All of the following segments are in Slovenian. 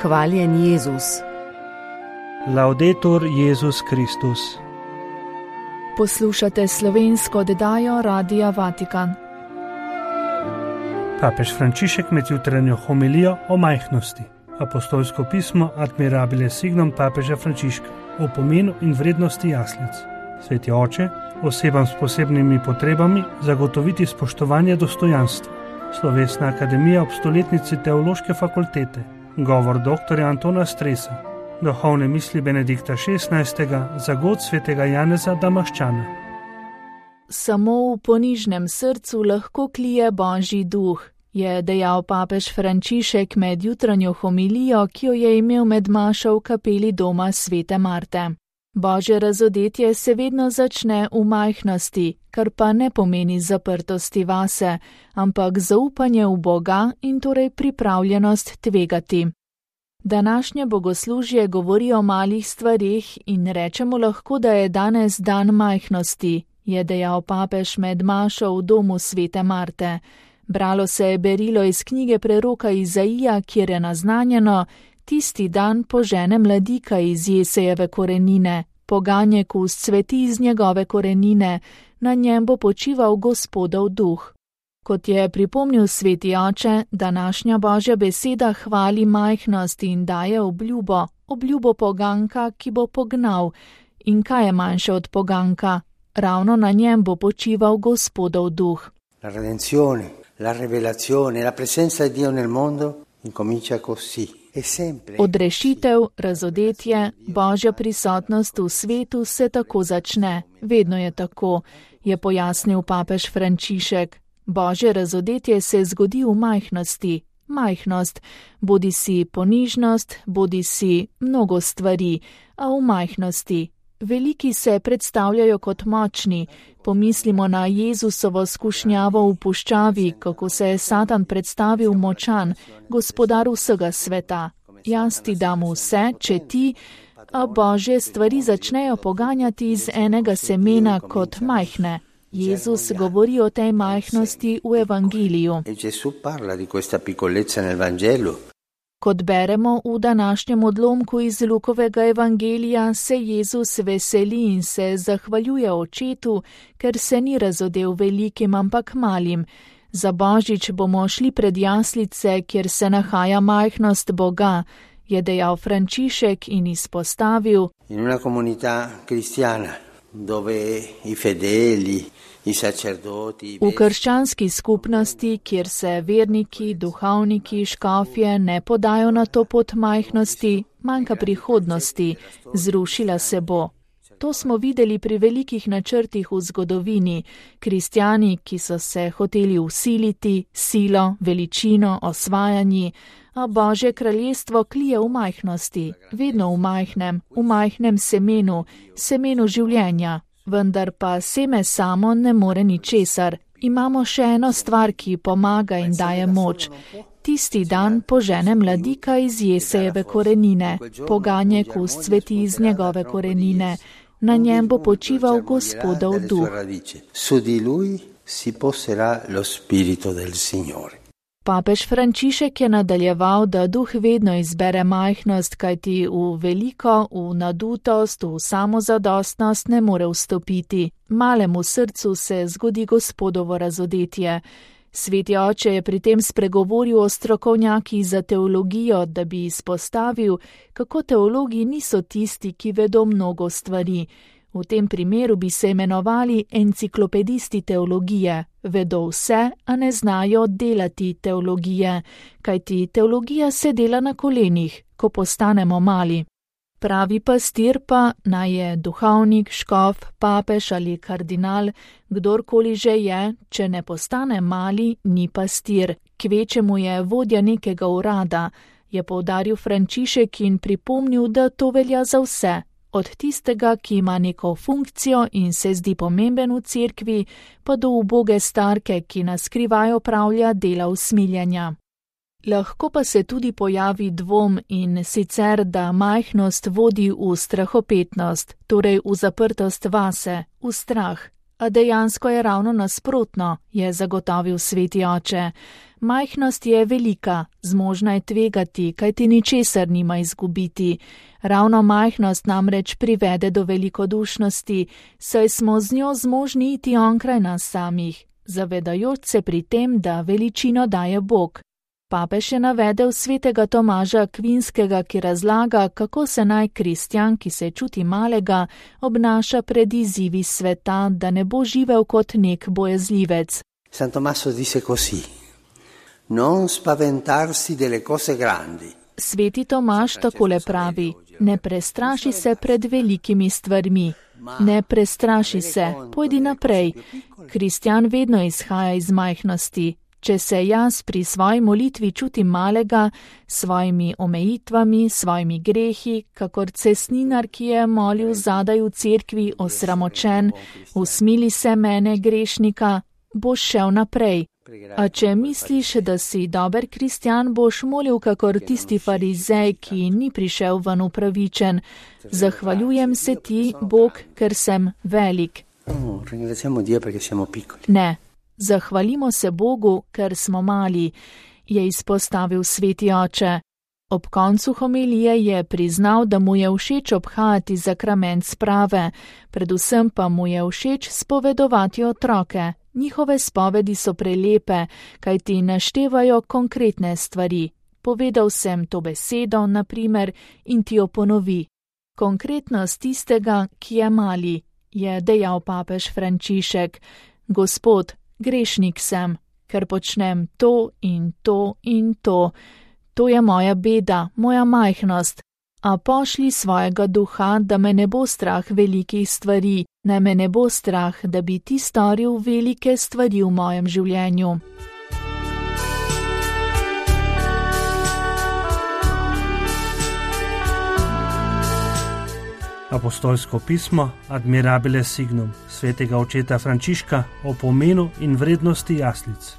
Hvaljen Jezus. Laudetur Jezus Kristus. Poslušate slovensko oddajo Radia Vatikan. Papež Frančišek med jutranjo homilijo o majhnosti. Apostolsko pismo Admirabile Signum papeža Frančiška o pomenu in vrednosti jaslic. Sveti oče, osebam s posebnimi potrebami zagotoviti spoštovanje dostojanstva. Slovesna akademija ob stoletnici Teološke fakultete. Govor dr. Antona Stresa. Duhovne misli Benedikta XVI. Za god svetega Janeza Damaščana. Samo v ponižnem srcu lahko klije Božji duh, je dejal papež Frančišek med jutranjo homilijo, ki jo je imel med mašo v kapeli doma svete Marte. Božje razodetje se vedno začne v majhnosti, kar pa ne pomeni zaprtosti vase, ampak zaupanje v Boga in torej pripravljenost tvegati. Današnje bogoslužje govori o malih stvareh in rečemo lahko, da je danes dan majhnosti, je dejal papež med mašo v domu svete Marte. Bralo se je berilo iz knjige preroka Izaija, kjer je naznanjeno: tisti dan požene mladika iz Jesejeve korenine, poganjek vzcveti iz njegove korenine, na njem bo počival Gospodov duh. Kot je pripomnil sveti oče, današnja Božja beseda hvali majhnost in daje obljubo poganka, ki bo pognal. In kaj je manjše od poganka? Ravno na njem bo počival Gospodov duh. La redenzione, la rivelazione, la presenza di Dio nel mondo incomincia così. Odrešitev, razodetje, Božja prisotnost v svetu se tako začne. Vedno je tako, je pojasnil papež Frančišek. Božje razodetje se zgodi v majhnosti. Majhnost, bodisi ponižnost, bodisi mnogo stvari, a v majhnosti. Veliki se predstavljajo kot močni. Pomislimo na Jezusovo skušnjavo v puščavi, kako se je Satan predstavil močan, gospodar vsega sveta. Jaz ti dam vse, če ti, a Božje stvari začnejo poganjati iz enega semena kot majhne. Jezus govori o tej majhnosti v Evangeliju. Kot beremo v današnjem odlomku iz Lukovega evangelija, se Jezus veseli in se zahvaljuje očetu, ker se ni razodel velikim, ampak malim. Za Božič bomo šli pred jaslice, kjer se nahaja majhnost Boga, je dejal Frančišek in izpostavil: In una comunità cristiana, dove i fedeli, v krščanski skupnosti, kjer se verniki, duhovniki, škofje ne podajo na to pot majhnosti, manjka prihodnosti, zrušila se bo. To smo videli pri velikih načrtih v zgodovini. Kristjani, ki so se hoteli vsiliti, silo, veličino, osvajanji, a Božje kraljestvo klije v majhnosti, vedno v majhnem semenu življenja. Vendar pa seme samo ne more ničesar. Imamo še eno stvar, ki pomaga in daje moč. Tisti dan požene mladika iz Jesejeve korenine, poganjek vzcveti iz njegove korenine. Na njem bo počival Gospodov duh. Su di lui si poserà lo spirito del Signore. Papež Frančišek je nadaljeval, da duh vedno izbere majhnost, kajti v veliko, v nadutost, v samozadostnost ne more vstopiti. Malemu srcu se zgodi Gospodovo razodetje. Sveti oče je pri tem spregovoril o strokovnjakih za teologijo, da bi izpostavil, kako teologi niso tisti, ki vedo mnogo stvari. V tem primeru bi se imenovali enciklopedisti teologije. Vedo vse, a ne znajo delati teologije, kajti teologija se dela na kolenih, ko postanemo mali. Pravi pastir pa, naj je duhovnik, škof, papež ali kardinal, kdorkoli že je, če ne postane mali, ni pastir, kvečemu je vodja nekega urada, je poudaril Frančišek in pripomnil, da to velja za vse. Od tistega, ki ima neko funkcijo in se zdi pomemben v cerkvi, pa do uboge starke, ki na skrivaj opravlja dela usmiljanja. Lahko pa se tudi pojavi dvom in sicer, da majhnost vodi v strahopetnost, torej v zaprtost vase, v strah. A dejansko je ravno nasprotno, je zagotovil sveti oče. Majhnost je velika, zmožna je tvegati, kajti ničesar nima izgubiti. Ravno majhnost namreč privede do velikodušnosti, saj smo z njo zmožni iti onkraj nas samih, zavedajoč se pri tem, da veličino daje Bog. Papež je navedel svetega Tomaža Akvinskega, ki razlaga, kako se naj kristjan, ki se čuti malega, obnaša pred izzivi sveta, da ne bo živel kot nek bojazljivec. San Tommaso dice così: non spaventarsi delle cose grandi. Sveti Tomaž takole pravi: ne prestraši se pred velikimi stvarmi. Ne prestraši se, pojdi naprej. Kristjan vedno izhaja iz majhnosti. Če se jaz pri svoji molitvi čutim malega, s svojimi omejitvami, svojimi grehi, kakor cestninar, ki je molil zadaj v cerkvi, osramočen, usmili se mene, grešnika, boš šel naprej. A če misliš, da si dober kristjan, boš molil kakor tisti farizej, ki ni prišel ven upravičen. Zahvaljujem se ti, Bog, ker sem velik. Ne. Zahvalimo se Bogu, ker smo mali, je izpostavil sveti oče. Ob koncu homilije je priznal, da mu je všeč obhajati zakrament sprave, predvsem pa mu je všeč spovedovati otroke. Njihove spovedi so prelepe, kajti naštevajo konkretne stvari. Povedal sem to besedo, na primer, in ti jo ponovi. Konkretnost tistega, ki je mali, je dejal papež Frančišek. Gospod, grešnik sem, ker počnem to in to in to. To je moja beda, moja majhnost. A pošli svojega duha, da me ne bo strah velikih stvari, naj me ne bo strah, da bi ti storil velike stvari v mojem življenju. Apostolsko pismo Admirabile Signum svetega očeta Frančiška o pomenu in vrednosti jaslic.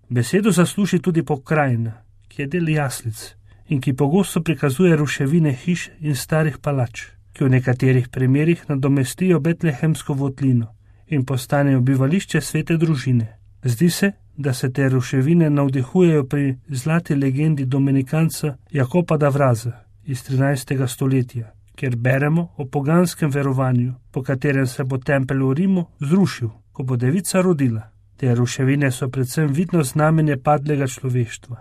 Besedo zasluži tudi pokrajina, ki je del jaslic in ki pogosto prikazuje ruševine hiš in starih palač, ki v nekaterih primerih nadomestijo betlehemsko votlino in postanejo bivališče svete družine. Zdi se, da se te ruševine navdihujejo pri zlati legendi dominikanca Jakopa da Vraza iz 13. stoletja, kjer beremo o poganskem verovanju, po katerem se bo tempelj v Rimu zrušil, ko bo devica rodila. Te ruševine so predvsem vidno znamenje padlega človeštva,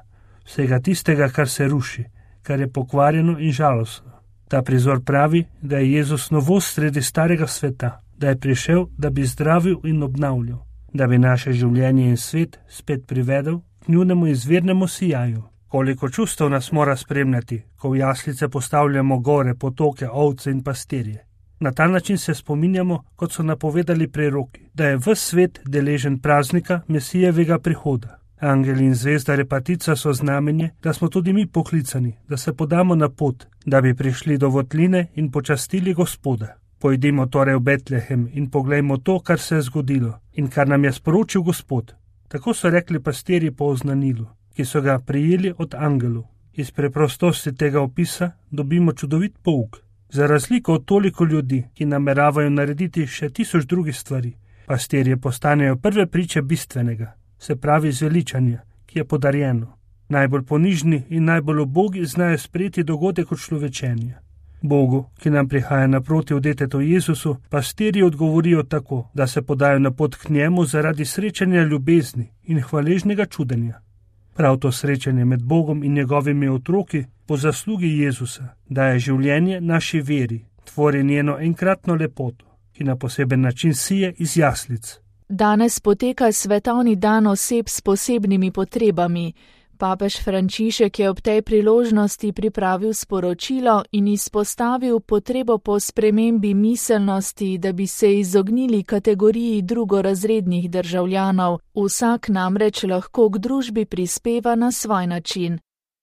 vsega tistega, kar se ruši, kar je pokvarjeno in žalostno. Ta prizor pravi, da je Jezus novost sredi starega sveta, da je prišel, da bi zdravil in obnavljal, da bi naše življenje in svet spet privedel k njunemu izvirnemu sijaju. Koliko čustev nas mora spremljati, ko v jaslice postavljamo gore, potoke, ovce in pastirje. Na ta način se spominjamo, kot so napovedali preroki, da je ves svet deležen praznika Mesijevega prihoda. Angeli in zvezda repatica so znamenje, da smo tudi mi poklicani, da se podamo na pot, da bi prišli do votline in počastili Gospoda. Pojdimo torej v Betlehem in poglejmo to, kar se je zgodilo in kar nam je sporočil Gospod. Tako so rekli pastirji po oznanilu, ki so ga prijeli od angelov. Iz preprostosti tega opisa dobimo čudovit pouk. Za razliko od toliko ljudi, ki nameravajo narediti še 1000 drugih stvari, pastirje postanejo prve priče bistvenega, se pravi zveličanja, ki je podarjeno. Najbolj ponižni in najbolj ubogi znajo sprejeti dogodek od človečenja. Bogu, ki nam prihaja naproti v detetu Jezusu, pastirji odgovorijo tako, da se podajo na pot k njemu zaradi srečanja ljubezni in hvaležnega čudenja. Prav to srečanje med Bogom in njegovimi otroki po zaslugi Jezusa daje življenje naši veri, tvori njeno enkratno lepoto, ki na poseben način sije iz jaslic. Danes poteka svetovni dan oseb s posebnimi potrebami. Papež Frančišek je ob tej priložnosti pripravil sporočilo in izpostavil potrebo po spremembi miselnosti, da bi se izognili kategoriji drugorazrednih državljanov. Vsak namreč lahko k družbi prispeva na svoj način.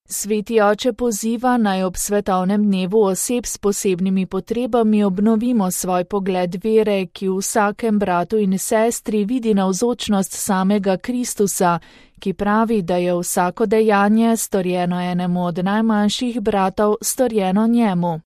Sveti oče poziva, naj ob svetovnem dnevu oseb s posebnimi potrebami obnovimo svoj pogled vere, ki v vsakem bratu in sestri vidi navzočnost samega Kristusa, ki pravi, da je vsako dejanje, storjeno enemu od najmanjših bratov, storjeno njemu.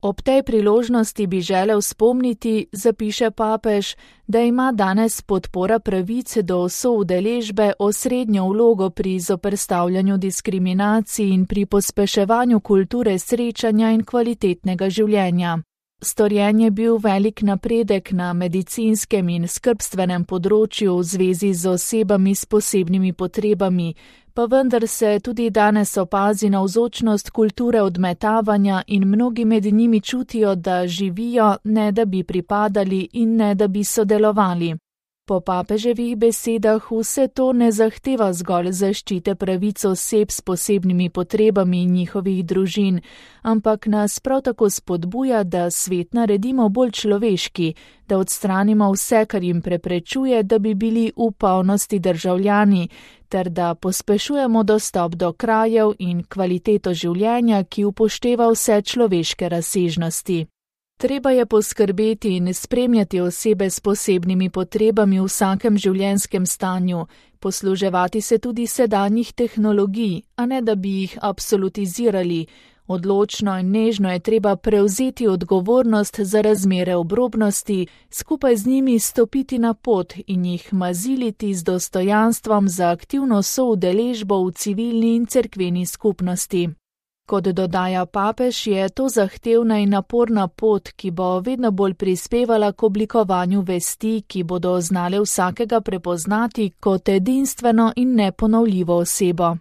Ob tej priložnosti bi želel spomniti, zapiše papež, da ima danes podpora pravice do soudeležbe osrednjo vlogo pri zoperstavljanju diskriminacij in pri pospeševanju kulture srečanja in kvalitetnega življenja. Storjen je bil velik napredek na medicinskem in skrbstvenem področju v zvezi z osebami s posebnimi potrebami, pa vendar se tudi danes opazi navzočnost kulture odmetavanja in mnogi med njimi čutijo, da živijo, ne da bi pripadali in ne da bi sodelovali. Po papeževih besedah vse to ne zahteva zgolj zaščite pravic oseb s posebnimi potrebami in njihovih družin, ampak nas prav tako spodbuja, da svet naredimo bolj človeški, da odstranimo vse, kar jim preprečuje, da bi bili v polnosti državljani, ter da pospešujemo dostop do krajev in kvaliteto življenja, ki upošteva vse človeške razsežnosti. Treba je poskrbeti in spremljati osebe s posebnimi potrebami v vsakem življenjskem stanju, posluževati se tudi sedanjih tehnologij, a ne da bi jih absolutizirali. Odločno in nežno je treba prevzeti odgovornost za razmere obrobnosti, skupaj z njimi stopiti na pot in jih maziliti z dostojanstvom za aktivno soudeležbo v civilni in cerkveni skupnosti. Kot dodaja papež, je to zahtevna in naporna pot, ki bo vedno bolj prispevala k oblikovanju vesti, ki bodo znale vsakega prepoznati kot edinstveno in neponovljivo osebo.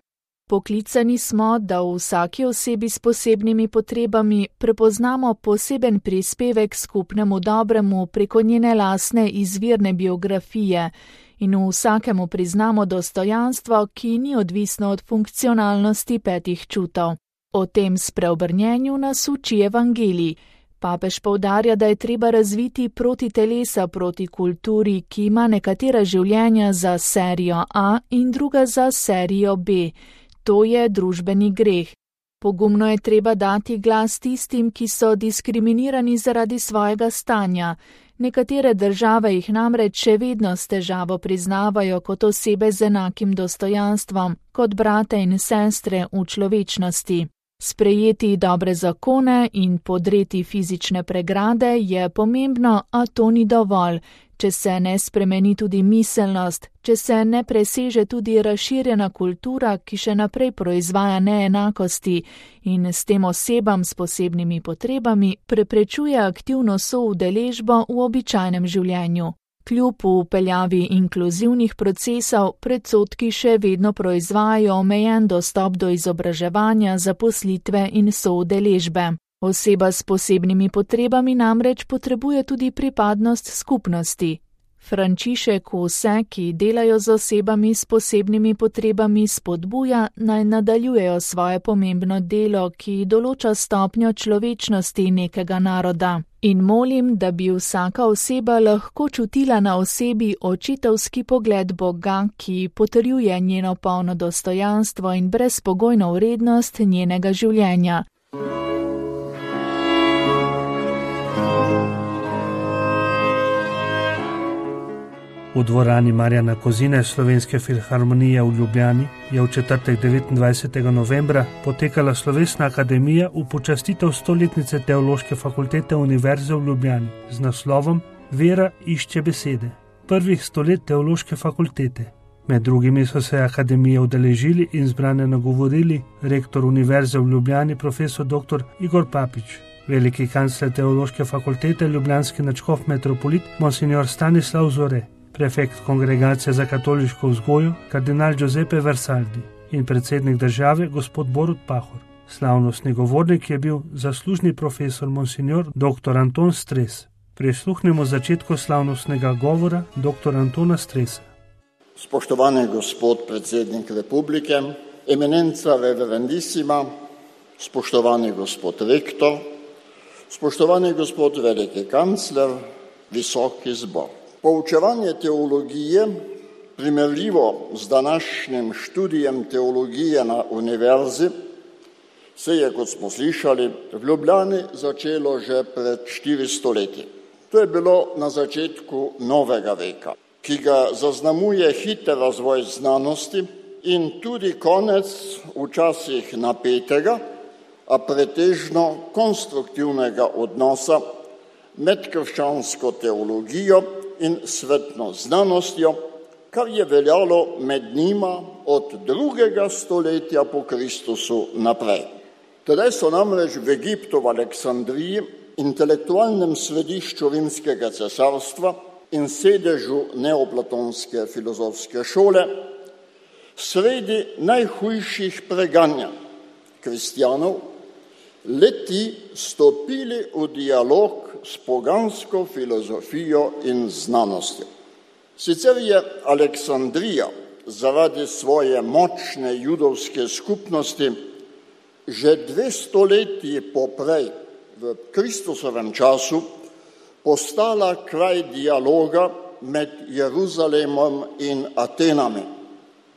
Poklicani smo, da v vsaki osebi s posebnimi potrebami prepoznamo poseben prispevek skupnemu dobremu preko njene lastne izvirne biografije in v vsakemu priznamo dostojanstvo, ki ni odvisno od funkcionalnosti petih čutov. O tem spreobrnjenju nas uči evangelij. Papež poudarja, da je treba razviti proti telesa proti kulturi, ki ima nekatera življenja za serijo A in druga za serijo B. To je družbeni greh. Pogumno je treba dati glas tistim, ki so diskriminirani zaradi svojega stanja. Nekatere države jih namreč še vedno s težavo priznavajo kot osebe z enakim dostojanstvom, kot brate in sestre v človečnosti. Sprejeti dobre zakone in podreti fizične pregrade je pomembno, a to ni dovolj. Če se ne spremeni tudi miselnost, če se ne preseže tudi razširjena kultura, ki še naprej proizvaja neenakosti in s tem osebam s posebnimi potrebami preprečuje aktivno soudeležbo v običajnem življenju. Kljub vpeljavi inkluzivnih procesov, predsodki še vedno proizvajajo omejen dostop do izobraževanja, zaposlitve in soudeležbe. Oseba s posebnimi potrebami namreč potrebuje tudi pripadnost skupnosti. Frančišek vse, ki delajo z osebami s posebnimi potrebami, spodbuja, naj nadaljujejo svoje pomembno delo, ki določa stopnjo človečnosti nekega naroda. In molim, da bi vsaka oseba lahko čutila na osebi očetovski pogled Boga, ki potrjuje njeno polno dostojanstvo in brezpogojno vrednost njenega življenja. V dvorani Marjana Kozine Slovenske filharmonije v Ljubljani je v četrtek 29. novembra potekala slovesna akademija v počastitev 100-letnice Teološke fakultete Univerze v Ljubljani z naslovom Vera išče besede. Prvih 100 let Teološke fakultete. Med drugimi so se akademije udeležili in zbrane nagovorili rektor Univerze v Ljubljani profesor dr. Igor Papič, veliki kancler Teološke fakultete ljubljanski nadškof metropolit monsignor Stanislav Zore, prefekt Kongregacije za katoliško vzgojo, kardinal Giuseppe Versaldi in predsednik države, gospod Borut Pahor. Slavnostni govornik je bil zaslužni profesor monsignor dr. Anton Stres. Prisluhnimo začetku slavnostnega govora dr. Antona Stresa. Spoštovani gospod predsednik republike, eminenca reverendissima, spoštovani gospod rektor, spoštovani gospod veliki kancler, visoki zbor. Poučevanje teologije, primerljivo z današnjim študijem teologije na univerzi, se je, kot smo slišali, v Ljubljani začelo že pred 400 leti. To je bilo na začetku novega veka, ki ga zaznamuje hiter razvoj znanosti in tudi konec včasih napetega, a pretežno konstruktivnega odnosa med krščansko teologijo in svetno znanostjo, kar je veljalo med njima od 2. stoletja po Kristusu naprej. Tedaj so namreč v Egiptu, v Aleksandriji, intelektualnem središču rimskega cesarstva in sedežu neoplatonske filozofske šole, sredi najhujših preganjanj kristjanov, le-ti stopili v dialog s pogansko filozofijo in znanostjo. Sicer je Aleksandrija zaradi svoje močne judovske skupnosti že 2 stoletji poprej v Kristusovem času postala kraj dialoga med Jeruzalemom in Atenami,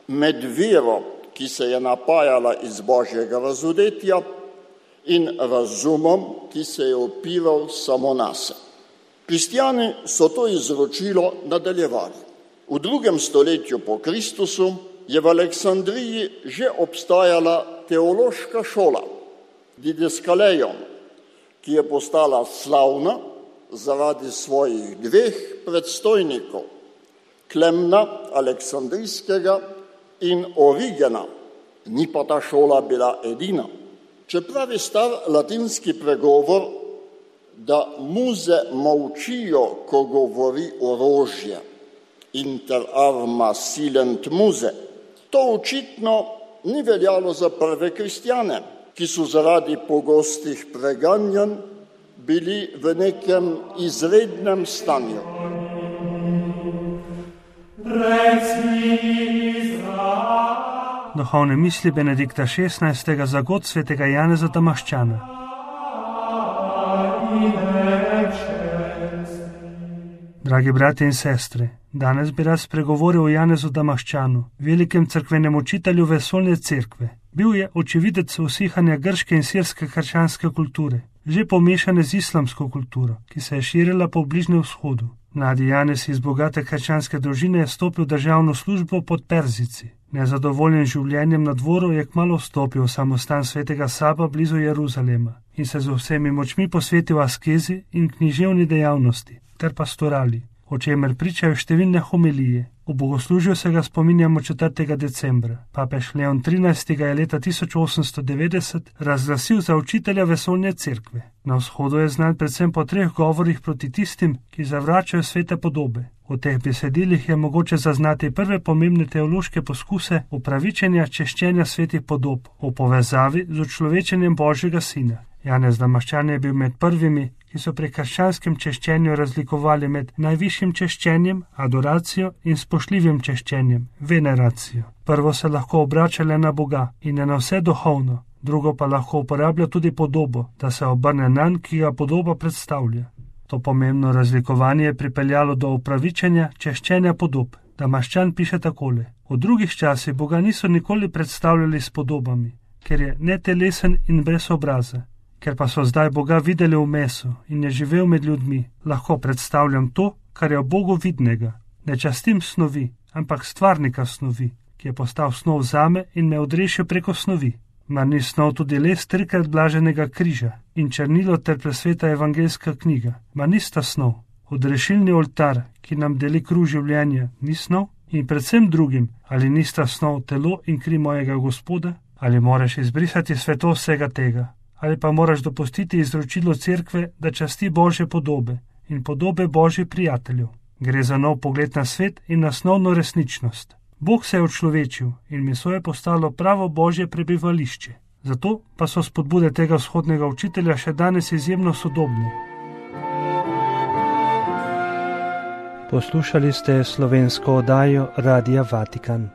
med vero, ki se je napajala iz Božjega razodetja, in razumom, ki se je opiral samo nase. Kristjani so to izročilo nadaljevali. V 2. stoletju po Kristusu je v Aleksandriji že obstajala teološka šola, Didaskaleion, ki je postala slavna zaradi svojih 2 predstojnikov, Klemna Aleksandrijskega in Origena. Ni pa ta šola bila edina. Čeprav je star latinski pregovor, da muze molčijo, ko govori orožje, inter arma silent muse, to očitno ni veljalo za prve kristjane, ki so zaradi pogostih preganjanj bili v nekem izrednem stanju. Duhovne misli Benedikta XVI. Za god svetega Janeza Damaščana. Dragi bratje in sestre, danes bi rad spregovoril o Janezu Damaščanu, velikem cerkvenem učitelju vesoljne cerkve. Bil je očividec usihanja grške in sirske krščanske kulture, že pomešane z islamsko kulturo, ki se je širila po Bližnjem vzhodu. Mladi Janez iz bogate krščanske družine je stopil v državno službo pod Perzici. Nezadovoljen življenjem na dvoru je kmalu vstopil v samostan svetega Saba blizu Jeruzalema in se z vsemi močmi posvetil askezi in književni dejavnosti ter pastorali, o čemer pričajo številne homilije. V bogoslužju se ga spominjamo 4. decembra. Papež Leon XIII. Je leta 1890 razglasil za učitelja vesoljne cerkve. Na vzhodu je znan predvsem po 3 govorih proti tistim, ki zavračajo svete podobe. V teh besedilih je mogoče zaznati prve pomembne teološke poskuse upravičenja češčenja svetih podob v povezavi z učlovečenjem Božjega Sina. Janez Damaščan je bil med prvimi, ki so pri krščanskem češčenju razlikovali med najvišjim češčenjem, adoracijo, in spoštljivim češčenjem, veneracijo. Prvo se lahko obrača le na Boga in je na vse duhovno, drugo pa lahko uporablja tudi podobo, da se obrne nanj, ki ga podoba predstavlja. To pomembno razlikovanje je pripeljalo do upravičenja češčenja podob. Damaščan piše takole: v drugih časih Boga niso nikoli predstavljali s podobami, ker je netelesen in brez obraza. Ker pa so zdaj Boga videli v mesu in je živel med ljudmi, lahko predstavljam to, kar je v Bogu vidnega. Ne častim snovi, ampak stvarnika snovi, ki je postal snov zame in me odrešil preko snovi. Mar ni snov tudi les 3-krat blaženega križa in črnilo ter presveta evangeljska knjiga? Mar nista snov? Odrešilni oltar, ki nam deli kruh življenja, ni snov? In predvsem drugim, ali nista snov telo in kri mojega Gospoda? Ali moraš izbrisati svetost vsega tega? Ali pa moraš dopustiti izročilo cerkve, da časti Božje podobe in podobe Božjih prijateljev? Gre za nov pogled na svet in na osnovno resničnost. Bog se je učlovečil in meso je postalo pravo Božje prebivališče. Zato pa so spodbude tega vzhodnega učitelja še danes izjemno sodobne. Poslušali ste slovensko oddajo Radia Vatikan.